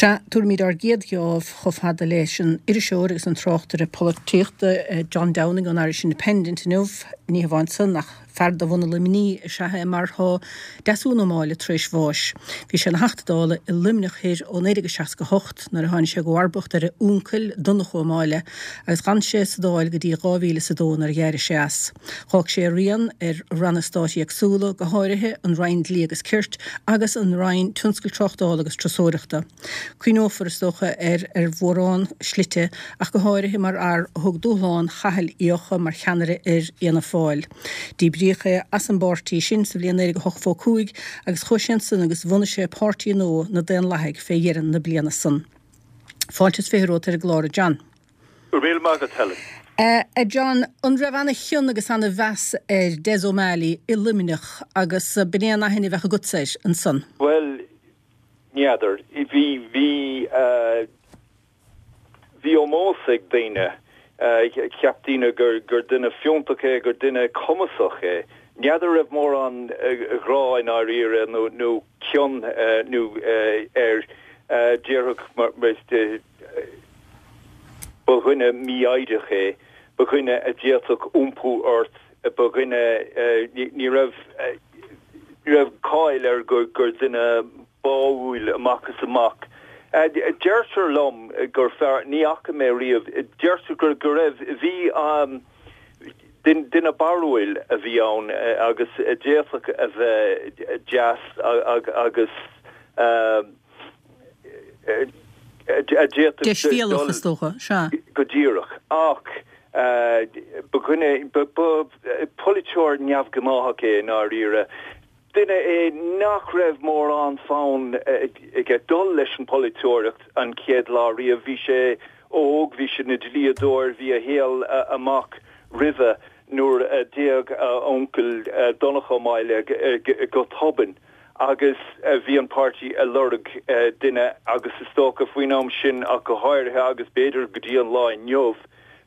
Sea, tabharfaimid ár gcéad gheábh chomh fada leis an iriseoir agus an tráchtaire polaitíochta John Downing ón Irish Independent inniu. Ní hamháin san, ach fear de bhunadh Luimnigh is ea é mar tá Deasún Ó Máille tar éis bháis. Bhí sé ina Theachta Dála i Luimneach Thoir ó 1968 nuair a tháinig sé i gcomharbacht ar a uncail, Donnchadh Ó Máille, agus d'fhan sé sa Dáil go dtí 2002 nuair a d'éirigh sé as. D'fhág sé a rian ar ranna stáit éagsúla, go háirithe an Roinn Dlí agus Cirt agus an Roinn Tionscail Tráchtála agus Turasóireachta. Cuimhneofar, is dócha, air ar mhórán slite ach go háirithe mar fhear a thug dúshlán Chathail Uí Eocha mar cheannaire ar Fhianna Fáil. Díbríodh é as an bpáirtí sin sa bhliain 1985 agus chuaigh sé ansan agus bhunaigh sé páirtí nua, Na Daonlathaigh, fé dheireadh na bliana san. Fáilte is 20 romhat ar an gclár, a John. Go raibh míle maith agat, Helen. A John, an raibh ana-chion agus ana-mheas ar Des O'Malley i Luimneach agus b'in é an aithne a bheadh agatsa air ansan? Bhuel, n'fheadar. Bhí, bhí, bhí ómós ag daoine. Cheap daoine gur, gur duine fiúntach é, gur duine cumasach é. N'fheadar raibh mórán grá i ndáiríre nó, nó cion nó air. Déarfadh mar, Ba dhuine mífhoighdeach é, ba dhuine a d'fhéadfadh iompú ort, ba dhuine, ní raibh, ní raibh cáil air gur duine báúil amach is amach. Deirtear liom gur fear, ní fhaca mé riamh, deirtear go, go raibh, bhí, duine barrúil a bhí ann agus a d'fhéadfadh a bheith deas agus, a d'fhéadfadh Deisbhéalach, is dócha, sea. Go díreach. Ach ba dhuine, ba pholaiteoir neamhghnáthach é i ndáiríre. Duine é nach raibh mórán fonn aige dul leis an bpolaiteoireacht an chéad lá riamh. Bhí sé óg, bhí sé ina dhlíodóir, bhí a shaol amach roimhe nuair a d'éag a uncail Donnchadh Ó Máille go tobann. agus bhí an páirtí ag lorg duine agus is dócha faoin am sin ach go háirithe agus b'fhéidir go dtí an lá inniu,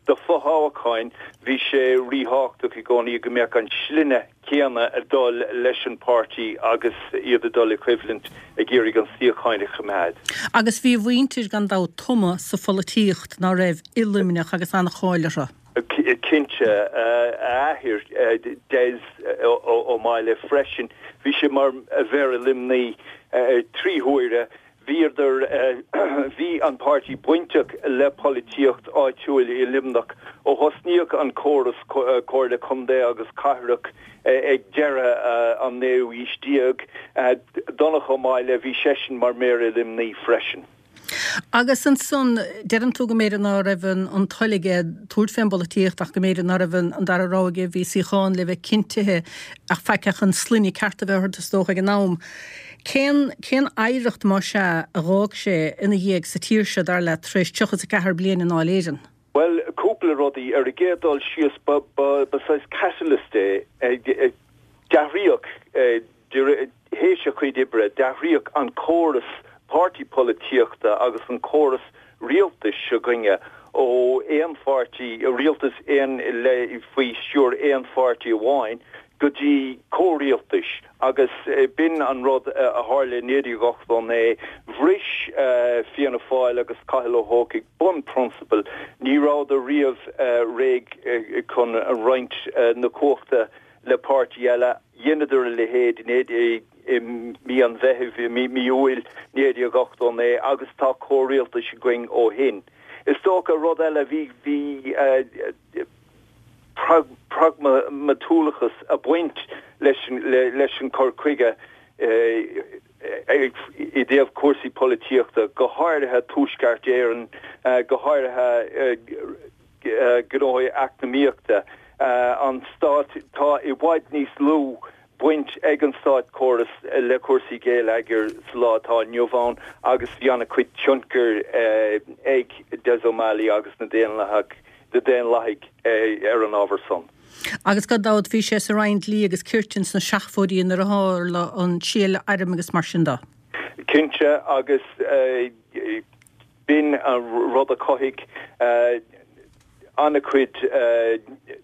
do fothoghcháin, bhí sé ríthábhachtach i gcónaí go mbeadh an sloinne céanna ag dul leis an páirtí agus iad ag dul i gcoimhlint ag iarraidh an suíocháin a choimeád. Agus bhí a mhuintir gan dabht tumtha sa pholaitíocht, ná raibh, i Luimneach agus an-cháil orthu. Cinnte, a athair, Des Ó Máille freisin, bhí sé mar Mhéara Luimnigh 3 huaire. Bhíodar, bhí an páirtí bainteach le polaitíocht áitiúil i Luimneach ó thosnaíodh an córas Comhairle Contae agus Cathrach ag deireadh an naoú aois déag. Donnchadh Ó Máille, bhí seisean mar Mhéara Luimnigh freisin. Agus ansan, deireann tú go mb'fhéidir ná raibh an toil aige tabhairt fén bpolaitíocht ach go mb'fhéidir ná raibh an dara rogha aige, bhí suíochán le bheith cinntithe ach faic ach an sloinne ceart a bheith ort is dócha ag an am. Cén, cén oidhreacht más ea a dh'fhág sé ina dhiaidh sa tír seo, dar leat, tar éis 34 bliain i nDáil Éireann? Bhuel, cúpla rudaí. Ar an gcéad dul síos, ba, ba, ba saghas catalyst é. D'athraíodh Théis a chuid oibre, d'athraíodh an córas páirtí polaitíochta agus an córas rialtais s'againne ó aon pháirtí, rialtas aon le faoi stiúir aon pháirtí amháin, go dtí comhrialtais agus b'in an rud a tharla i 1989. Bhris Fianna Fáil agus Cathal Ó hEochaidh bunphrionsabal, ní rabhadar riamh réidh chun roinnt na cumhachta le páirtí eile. Dheineadar a leithéid i mí an Mheithimh, i mí Iúil 1989 agus tá comhrialtais againn ó shin. Is dócha, rud eile, bhí, bhí pragmatúlachas ag baint leis, leis an cur chuige i dtaobh cúrsaí polaitíochta, go háirithe Tuaisceart Éireann, go háirithe gnóthaí eacnamaíochta an stáit. Tá i bhfad níos lú baint ag an státchóras le cúrsaí geilleagair sa lá atá inniu ann agus bhí an-chuid tionchair ag Des O'Malley agus na Daonlathaigh na Daonlathaigh ar an ábhar san. Agus gan dabht bhí sé sa Roinn Dlí agus Cirt ins na seachtóidí nuair a tharla an triail airm agus mar sin de. Cinnte agus B'in an rud a chothaigh an-chuid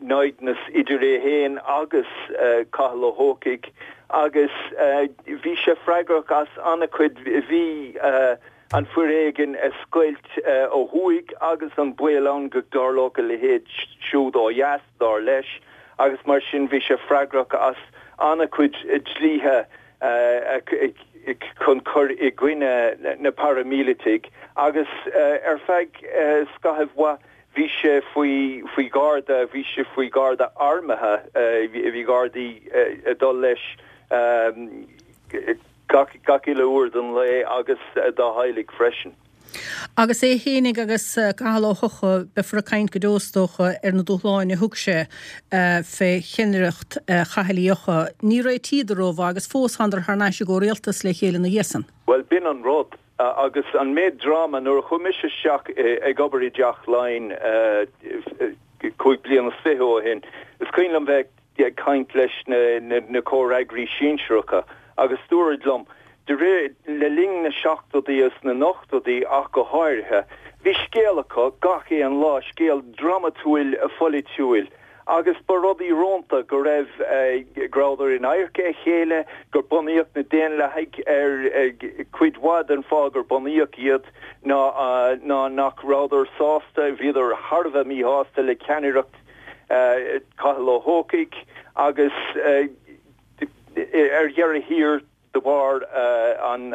naimhdeas idir é féin agus Cathal Ó hEochaidh agus bhí sé freagrach as an-chuid, bhí. an foréigean a scoilt ó thuaidh agus an baol ann go dtarlódh a leithéid siúd ó dheas, dar leis, agus mar sin bhí sé freagrach as an-chuid dlíthe chun cur i gcoinne na paraimíleataigh agus ar feadh scaithimh mhaith bhí sé faoi faoi gharda, bhí sé faoi gharda armtha, bhí gardaí ag dul leis. Gach uile uair den lae agus dá theaghlaigh freisin. Agus é fhéinig agus Cathal Ó hEochaidh, beifear ag caint go deo is dócha ar na dúshláin a thug sé fé cheannaireacht Chathail Uí Eochaidh. Ní réitíodar rómhaith agus fós thánadar thar n-ais i gcomhrialtas le chéile ina dhiaidh san. Bhuel, b'in an rud. Agus an méid dráma, nuair a chuaigh mise isteach ag obair i dTeach Laighean 25 bliana ó shin, is cuimhin liom bheith ag caint leis na comhfhreagraí sinsearacha agus dúradh liom, de réir, le linn na seachtóidí agus na n-ochtóidí ach go háirithe, bhí scéal acu gach aon lá, scéal drámatúil pholaitiúil agus ba rud íorónta go raibh, go rabhadar in adharca a chéile, gur bunaíodh na Daonlathaigh ar, cuid mhaith den fáth gur bunaíodh iad ná ná nach rabhadar sásta, bhíodar thar a bheith míshásta le ceannaireacht Cathal Ó hEochaidh agus ar dheireadh thiar de bharr an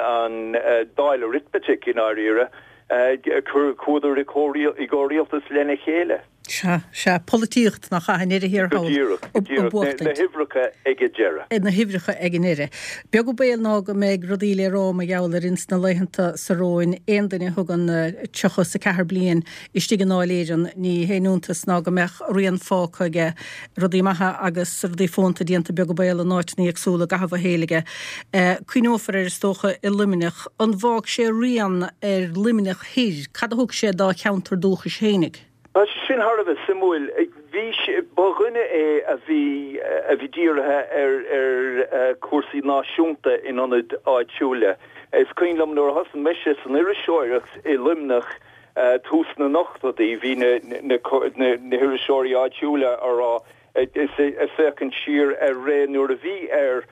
Dáil Arithmetic i ndáiríre, chuadar i gcomhrialtas lena chéile. Sea, sea, polaitíocht nach ea i ndeireadh thiar thall. Go díreach, go díreach, na huimhreacha ag an deireadh. Na huimhreacha ag an ndeireadh. Beag an baol ná go mbeidh rudaí le rá mar gheall air ins na laethanta so romhainn. Aon duine a thugann 34 bliain Istigh i nDáil Éireann, ní haon iontas ná go mbeadh rian fágtha aige, rudaí maithe agus rudaí fónta déanta beag an baol in áiteanna éagsúla i gcaitheamh a shaoil aige. Cuimhneofar air is dócha i Luimneach. An bhfág sé rian ar Luimneach Thoir? Cad a thug sé dá cheantar dúchais fhéinig? Tá sé sin thar a bheith suimiúil. Bhí sé, ba dhuine é a bhí, a bhí dírithe ar, ar chúrsaí náisiúnta in ionad áitiúla. Is cuimhin liom nuair a thosaigh mise san iriseoireacht i Luimneach, tús na n-ochtóidí, bhí na hiriseoirí áitiúla á rá, ag féachaint siar ar ré nuair a bhí ar,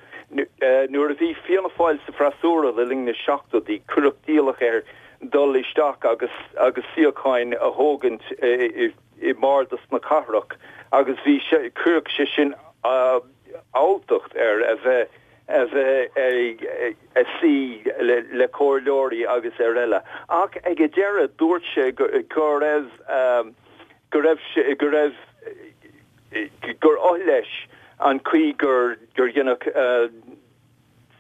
nuair a bhí Fianna Fáil sa bhfreasúra le linn na seachtóidí, cuireadh d'iallach air dul isteach agus agus suíocháin a thógaint i mbardas na cathrach agus bhí sé, chuirfeadh sé sin alltacht air a bheith a bheith ag suí le comhairleoirí agus araile. Ach ag an deireadh dúirt sé go raibh, go raibh sé, go raibh, gur oth leis an chaoi gur deineadh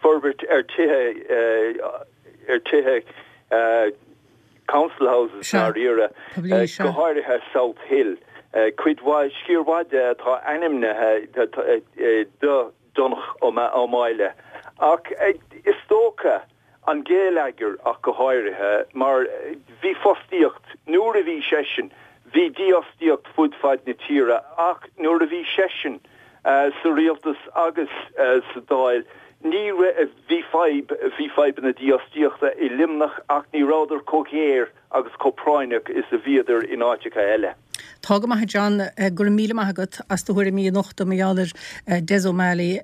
forbairt ar tithe, ar tithe council houses i ndáiríre, go háirithe South Hill. Cuid mhaith, sciar mhaith de atá ainmnithe do Donnchadh Ó Máille. Ach is dócha, an géilleagar ach go háirithe, mar bhí fostaíocht, nuair a bhí seisean, bhí dífhostaíocht fud fad na tíre ach nuair a bhí seisean sa rialtas agus sa Dáil, ní raibh, bhí fadhb, bhí fadhbanna dífhostaíochta i Luimneach ach ní rabhadar chomh géar agus chomh práinneach is a bhíodar in áiteacha eile. Tá go maith a John, go raibh míle maith agat as do thuairimí a nochtadh mar gheall ar Des O'Malley,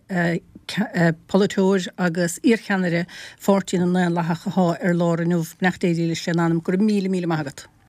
polaiteoir agus iarcheannaire Pháirtí na nDaonlathach athá ar lár inniu. Beannacht Dé dílis lena anam. Go raibh míle míle maith agat.